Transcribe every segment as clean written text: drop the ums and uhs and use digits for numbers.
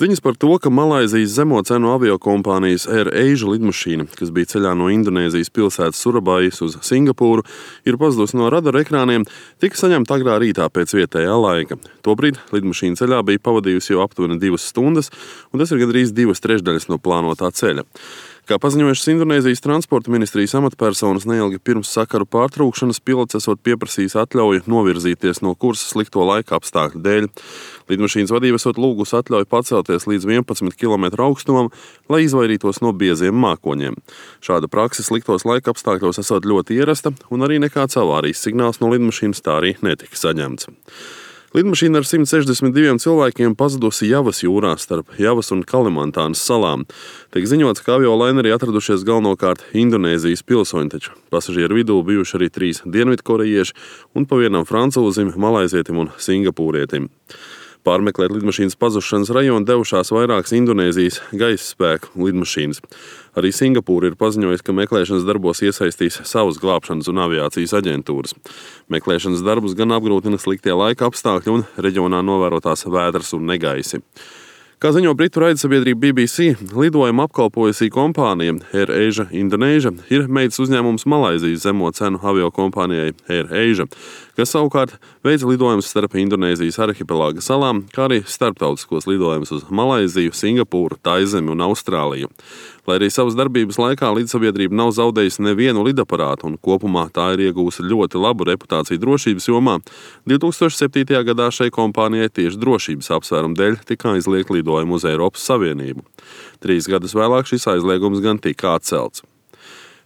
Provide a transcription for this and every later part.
Ziņas par to, ka Malaizijas zemo cenu aviokompānijas AirAsia lidmašīna, kas bija ceļā no Indonēzijas pilsētas Surabajas uz Singapūru, ir pazudusi no radara ekrāniem, tika saņemta agrā rītā pēc vietējā laika. Tobrīd lidmašīna ceļā bija pavadījusi jau aptuveni 2 stundas, un tas ir gandrīz 2/3 no plānotā ceļa. Kā paziņojušas Indonēzijas transporta ministrijas amatpersonas, neilgi pirms sakaru pārtraukšanas pilots esot pieprasījis atļauju novirzīties no kursa slikto laika apstākļu dēļ. Lidmašīnas vadība esot lūgusi atļauju pacelties līdz 11 km augstumam, lai izvairītos no bieziem mākoņiem. Šāda prakse sliktos laika apstākļos esot ļoti ierasta, un arī nekāds avārijas signāls no lidmašīnas tā arī netika saņemts. Lidmašīna ar 162 cilvēkiem pazudusi Javas jūrā starp Javas un Kalimantānas salām. Tiek ziņots, ka aviolainerī atradušies galvenokārt Indonēzijas pilsoņi, taču pasažieru vidū bijuši arī 3 dienvidkorejieši un pa vienam francūzim, malaizietim un singapūrietim. Pārmeklēt lidmašīnas pazušanas rajonu devušās vairākas Indonēzijas gaisa spēku lidmašīnas. Arī Singapūra ir paziņojusi, ka meklēšanas darbos iesaistīs savas glābšanas un aviācijas aģentūras. Meklēšanas darbus gan apgrūtina sliktie laika apstākļi un reģionā novērotās vētras un negaisi. Kā ziņo britu raidsabiedrība BBC, lidojumu apkalpojusī kompānija AirAsia Indonesia ir meitas uzņēmums Malaizijas zemo cenu aviokompānijai AirAsia, kas savukārt veica lidojumus starp Indonēzijas arhipelāga salām, kā arī starptautiskos lidojumus uz Malaiziju, Singapūru, Taizemi un Austrāliju. Lai arī savas darbības laikā līdzsabiedrība nav zaudējusi nevienu lidaparātu un kopumā tā ir iegūsi ļoti labu reputāciju drošības jomā, 2007. gadā šai kompānijai tieši drošības apsvērumu dēļ tika aizliegt lidojumu uz Eiropas Savienību. 3 gadus vēlāk šis aizliegums gan tika atcelts.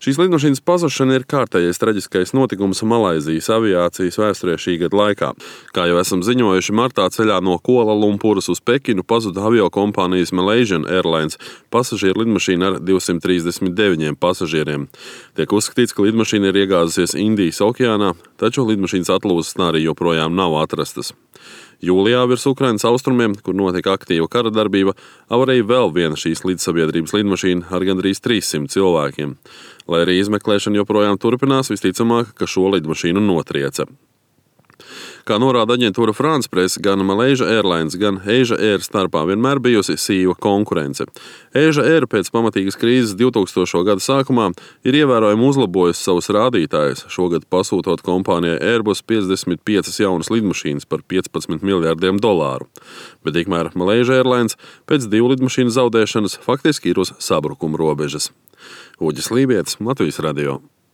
Šīs lidmašīnas pazušana ir kārtējais traģiskais notikums Malaizijas aviācijas vēsturē šī gada laikā. Kā jau esam ziņojuši, martā ceļā no Kuala Lumpuras uz Pekinu pazuda aviokompānijas Malaysian Airlines pasažieru lidmašīna ar 239 pasažieriem. Tiek uzskatīts, ka lidmašīna ir iegāzusies Indijas okeānā, taču lidmašīnas atlūzas arī joprojām nav atrastas. Jūlijā virs Ukrainas austrumiem, kur notika aktīva kara darbība, avarēja vēl viena šīs līdzsabiedrības lidmašīna ar gandrīz 300 cilvēkiem. Lai arī izmeklēšana joprojām turpinās, visticamāk, ka šo lidmašīnu notrieca. Kā norāda aģentūra France Press, gan Malaysia Airlines, gan Asia Air starpā vienmēr bijusi sīva konkurence. Asia Air pēc pamatīgas krīzes 2000. gada sākumā ir ievērojami uzlabojusi savus rādītājus, šogad pasūtot kompānijai Airbus 55 jaunas lidmašīnas par $15 miljardiem. Bet tikmēr Malaysia Airlines pēc 2 lidmašīnu zaudēšanas faktiski ir uz sabrukuma robežas. Uģis Lībietis, Latvijas radio.